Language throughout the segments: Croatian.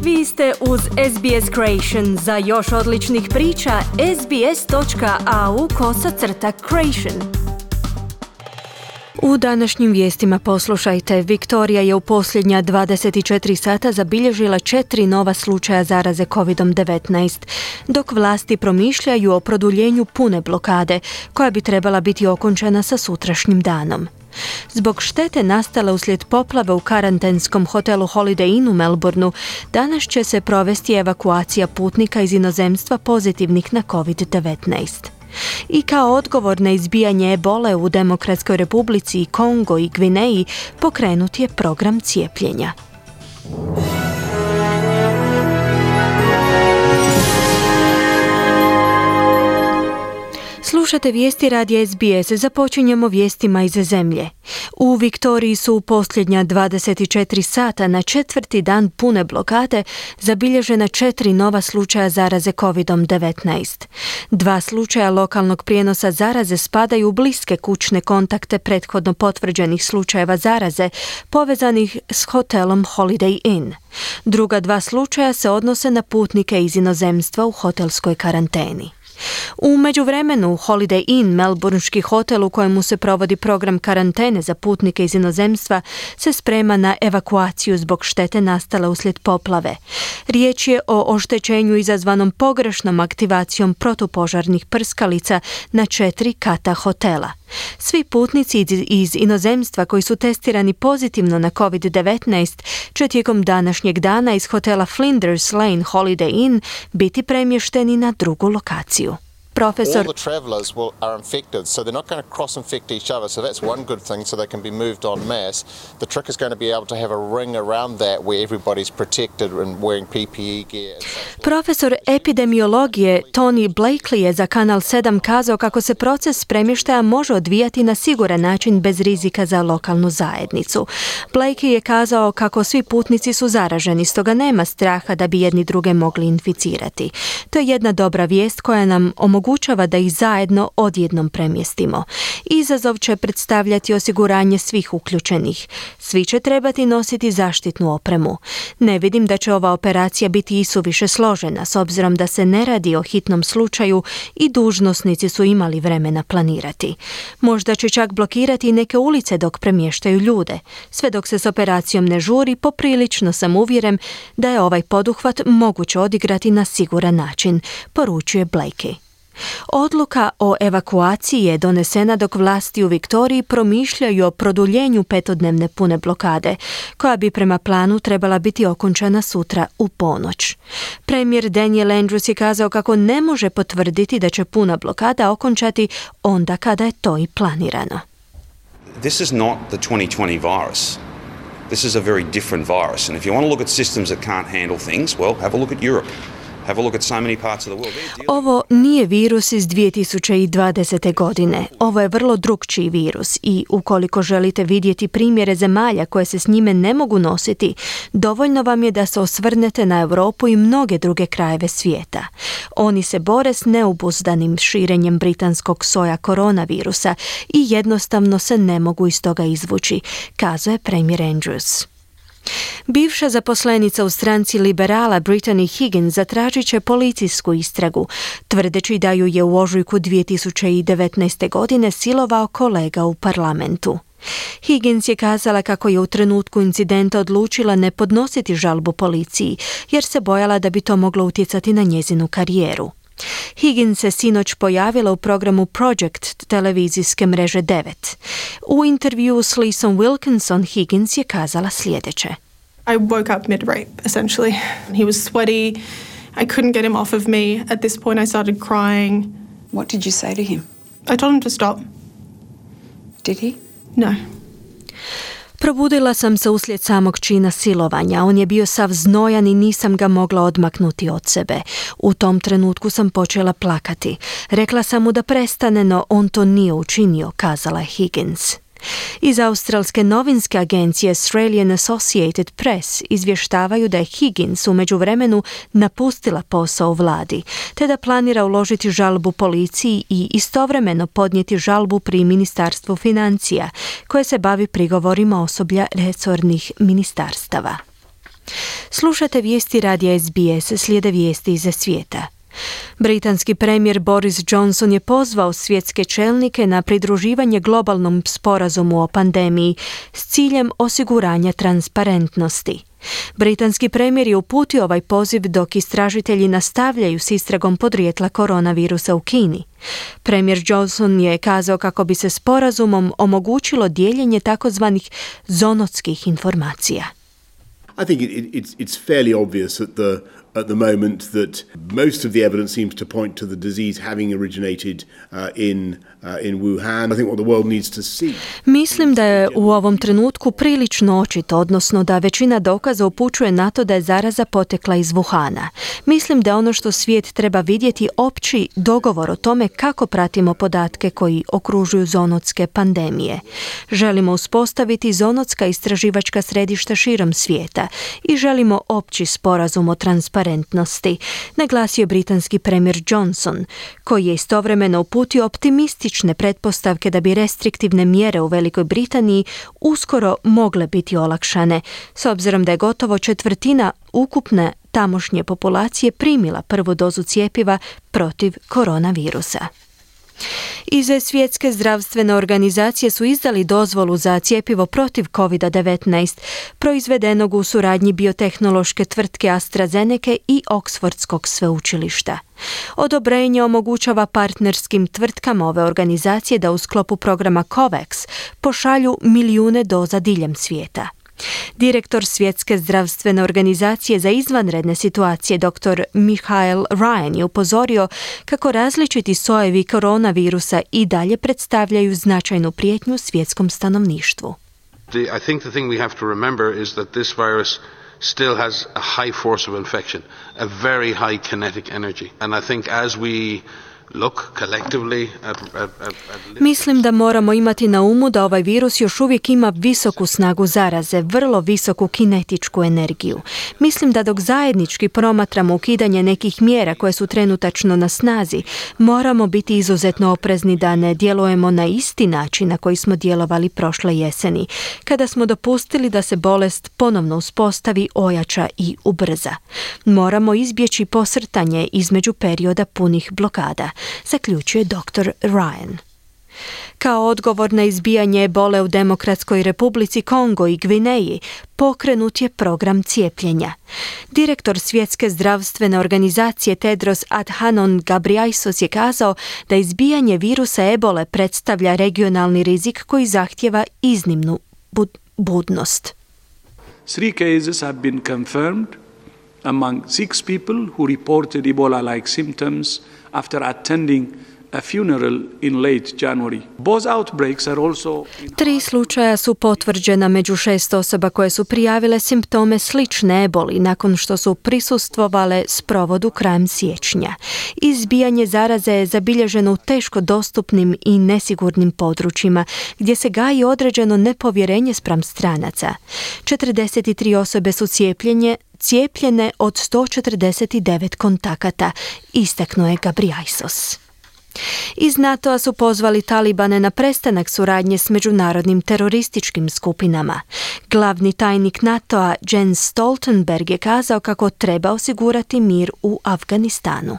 Vi ste uz SBS Creation. Za još odličnih priča, sbs.au/creation. U današnjim vijestima poslušajte. Viktorija je u posljednja 24 sata zabilježila 4 nova slučaja zaraze COVID-19, dok vlasti promišljaju o produljenju pune blokade, koja bi trebala biti okončana sa sutrašnjim danom. Zbog štete nastale uslijed poplave u karantenskom hotelu Holiday Inn u Melbourneu, danas će se provesti evakuacija putnika iz inozemstva pozitivnih na COVID-19. I kao odgovor na izbijanje ebole u Demokratskoj Republici, Kongo i Gvineji pokrenut je program cijepljenja. Slušate vijesti radija SBS. Započinjemo vijestima iz zemlje. U Viktoriji su u posljednja 24 sata na 4. dan pune blokade zabilježena 4 nova slučaja zaraze COVID-19. 2 slučaja lokalnog prijenosa zaraze spadaju u bliske kućne kontakte prethodno potvrđenih slučajeva zaraze povezanih s hotelom Holiday Inn. Druga 2 slučaja se odnose na putnike iz inozemstva u hotelskoj karanteni. U međuvremenu, Holiday Inn, melbourneški hotel u kojemu se provodi program karantene za putnike iz inozemstva, se sprema na evakuaciju zbog štete nastale uslijed poplave. Riječ je o oštećenju izazvanom pogrešnom aktivacijom protupožarnih prskalica na 4 kata hotela. Svi putnici iz inozemstva koji su testirani pozitivno na COVID-19 će tijekom današnjeg dana iz hotela Flinders Lane Holiday Inn biti premješteni na drugu lokaciju. Profesor All the travelers are infected, so they're not going to cross-infect each other, so that's one good thing, so they can be moved en masse. The trick is going to be able to have a ring around that where everybody's protected and wearing PPE gear. Profesor epidemiologije Tony Blakely je za Kanal 7 kazao kako se proces premještaja može odvijati na siguran način bez rizika za lokalnu zajednicu. Blakely je kazao kako svi putnici su zaraženi, stoga nema straha da bi jedni druge mogli inficirati. To je jedna dobra vijest koja nam omogućava da ih zajedno odjednom premjestimo. Izazov će predstavljati osiguranje svih uključenih. Svi će trebati nositi zaštitnu opremu. Ne vidim da će ova operacija biti isuviše složena, s obzirom da se ne radi o hitnom slučaju i dužnosnici su imali vremena planirati. Možda će čak blokirati neke ulice dok premještaju ljude. Sve dok se s operacijom ne žuri, poprilično sam uvjeren da je ovaj poduhvat moguće odigrati na siguran način, poručuje Blakely. Odluka o evakuaciji je donesena dok vlasti u Viktoriji promišljaju o produljenju 5-dnevne pune blokade, koja bi prema planu trebala biti okončana sutra u ponoć. Premijer Daniel Andrews je kazao kako ne može potvrditi da će puna blokada okončati onda kada je to i planirano. This is not the 2020 virus. This is a very different virus. And if you want to look at systems that can't handle things, well, have a look at Europe. Ovo nije virus iz 2020. godine. Ovo je vrlo drukčiji virus i ukoliko želite vidjeti primjere zemalja koje se s njime ne mogu nositi, dovoljno vam je da se osvrnete na Europu i mnoge druge krajeve svijeta. Oni se bore s neobuzdanim širenjem britanskog soja koronavirusa i jednostavno se ne mogu iz toga izvući, kazao je premijer Andrews. Bivša zaposlenica u stranci liberala Brittany Higgins zatražit će policijsku istragu, tvrdeći da ju je u ožujku 2019. godine silovao kolega u parlamentu. Higgins je kazala kako je u trenutku incidenta odlučila ne podnositi žalbu policiji, jer se bojala da bi to moglo utjecati na njezinu karijeru. Higgins se sinoć pojavila u programu Project televizijske mreže 9. U intervjuu s Lisom Wilkinson Higgins je kazala sljedeće. I woke up mid-rape, essentially. He was sweaty. I couldn't get him off of me. At this point I started crying. What did you say to him? I told him to stop. Did he? No. Probudila sam se uslijed samog čina silovanja. On je bio sav znojan i nisam ga mogla odmaknuti od sebe. U tom trenutku sam počela plakati. Rekla sam mu da prestane, no on to nije učinio, kazala je Higgins. Iz australske novinske agencije Australian Associated Press izvještavaju da je Higgins u međuvremenu napustila posao u vladi, te da planira uložiti žalbu policiji i istovremeno podnijeti žalbu pri Ministarstvu financija, koje se bavi prigovorima osoblja resornih ministarstava. Slušate vijesti radija SBS, slijede vijesti iz svijeta. Britanski premijer Boris Johnson je pozvao svjetske čelnike na pridruživanje globalnom sporazumu o pandemiji s ciljem osiguranja transparentnosti. Britanski premijer je uputio ovaj poziv dok istražitelji nastavljaju s istragom podrijetla koronavirusa u Kini. Premijer Johnson je kazao kako bi se sporazumom omogućilo dijeljenje takozvanih zoonotskih informacija. I think it's fairly obvious at the moment that most of the evidence seems to point to the disease having originated in Wuhan. I think what the world needs to see. Mislim da je u ovom trenutku prilično očito, odnosno da većina dokaza upućuje na to da je zaraza potekla iz Wuhana. Mislim da ono što svijet treba vidjeti opći dogovor o tome kako pratimo podatke koji okružuju zoonotske pandemije. Želimo uspostaviti zoonotska istraživačka središta širom svijeta i želimo opći sporazum o transparentnosti, naglasio britanski premijer Johnson, koji je istovremeno uputio optimistične pretpostavke da bi restriktivne mjere u Velikoj Britaniji uskoro mogle biti olakšane, s obzirom da je gotovo četvrtina ukupne tamošnje populacije primila prvu dozu cjepiva protiv koronavirusa. Iz Svjetske zdravstvene organizacije su izdali dozvolu za cjepivo protiv COVID-19, proizvedenog u suradnji biotehnološke tvrtke AstraZeneca i Oksfordskog sveučilišta. Odobrenje omogućava partnerskim tvrtkama ove organizacije da u sklopu programa COVAX pošalju milijune doza diljem svijeta. Direktor Svjetske zdravstvene organizacije za izvanredne situacije dr. Michael Ryan je upozorio kako različiti sojevi koronavirusa i dalje predstavljaju značajnu prijetnju svjetskom stanovništvu. I think the thing we have to remember is that this virus still has a high force of infection, a very high kinetic energy. And I think as we Mislim da moramo imati na umu da ovaj virus još uvijek ima visoku snagu zaraze, vrlo visoku kinetičku energiju. Mislim da dok zajednički promatramo ukidanje nekih mjera koje su trenutačno na snazi, moramo biti izuzetno oprezni da ne djelujemo na isti način na koji smo djelovali prošle jeseni, kada smo dopustili da se bolest ponovno uspostavi, ojača i ubrza. Moramo izbjeći posrtanje između perioda punih blokada, zaključuje dr. Ryan. Kao odgovor na izbijanje ebole u Demokratskoj Republici Kongo i Gvineji, pokrenut je program cijepljenja. Direktor Svjetske zdravstvene organizacije Tedros Adhanom Ghebreyesus je kazao da izbijanje virusa ebole predstavlja regionalni rizik koji zahtijeva iznimnu budnost. 3 cases have been confirmed among 6 people who reported Ebola-like symptoms after attending a funeral in late January. Both outbreaks are also 3 slučaja su potvrđena među 6 osoba koje su prijavile simptome slične eboli nakon što su prisustvovale sprovodu krajem siječnja. Izbijanje zaraze je zabilježeno u teško dostupnim i nesigurnim područjima gdje se gaji određeno nepovjerenje spram stranaca. 43 osobe su cijepljene od 149 kontakata, istaknuo je Ghebreyesus. Iz NATO-a su pozvali Talibane na prestanak suradnje s međunarodnim terorističkim skupinama. Glavni tajnik NATO-a Jens Stoltenberg je kazao kako treba osigurati mir u Afganistanu.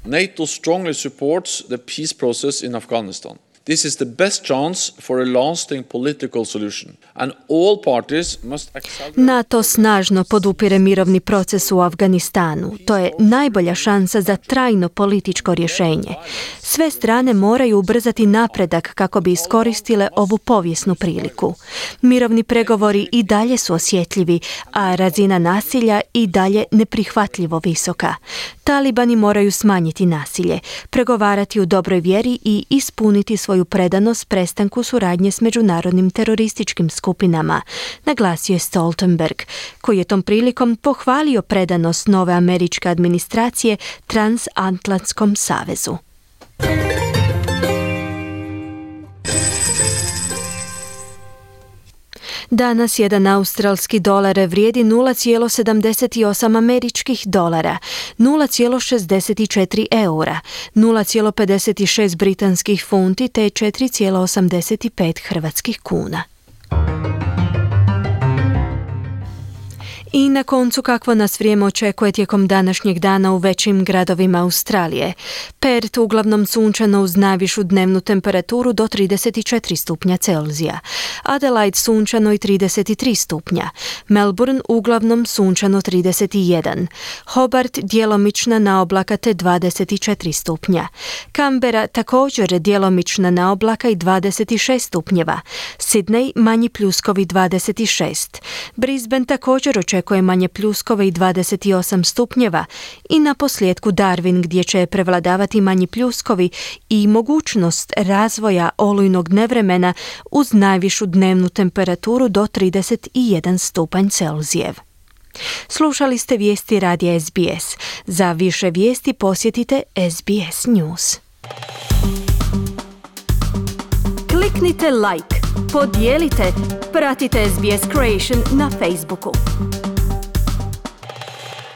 NATO strongly supports the peace process in Afghanistan. This is the best chance for a lasting political solution, and all parties must accept. NATO snažno podupire mirovni proces u Afganistanu. To je najbolja šansa za trajno političko rješenje. Sve strane moraju ubrzati napredak kako bi iskoristile ovu povijesnu priliku. Mirovni pregovori i dalje su osjetljivi, a razina nasilja i dalje neprihvatljivo visoka. Talibani moraju smanjiti nasilje, pregovarati u dobroj vjeri i ispuniti svoju predanost prestanku suradnje s međunarodnim terorističkim skupinama, naglasio je Stoltenberg, koji je tom prilikom pohvalio predanost nove američke administracije Transatlantskom savezu. Danas jedan australski dolar vrijedi 0,78 američkih dolara, 0,64 eura, 0,56 britanskih funti te 4,85 hrvatskih kuna. I na koncu kakvo nas vrijeme očekuje tijekom današnjeg dana u većim gradovima Australije. Perth uglavnom sunčano uz najvišu dnevnu temperaturu do 34 stupnja Celzija. Adelaide sunčano i 33 stupnja. Melbourne uglavnom sunčano 31. Hobart djelomična naoblaka te 24 stupnja. Canberra također djelomična naoblaka i 26 stupnjeva. Sydney manji pljuskovi 26. Brisbane također očekuje manje pljuskove i 28 stupnjeva i na posljedku Darwin gdje će prevladavati manji pljuskovi i mogućnost razvoja olujnog nevremena uz najvišu dnevnu temperaturu do 31 stupanj Celzijev. Slušali ste vijesti radija SBS. Za više vijesti posjetite SBS News. Kliknite like, podijelite, pratite SBS Creation na Facebooku.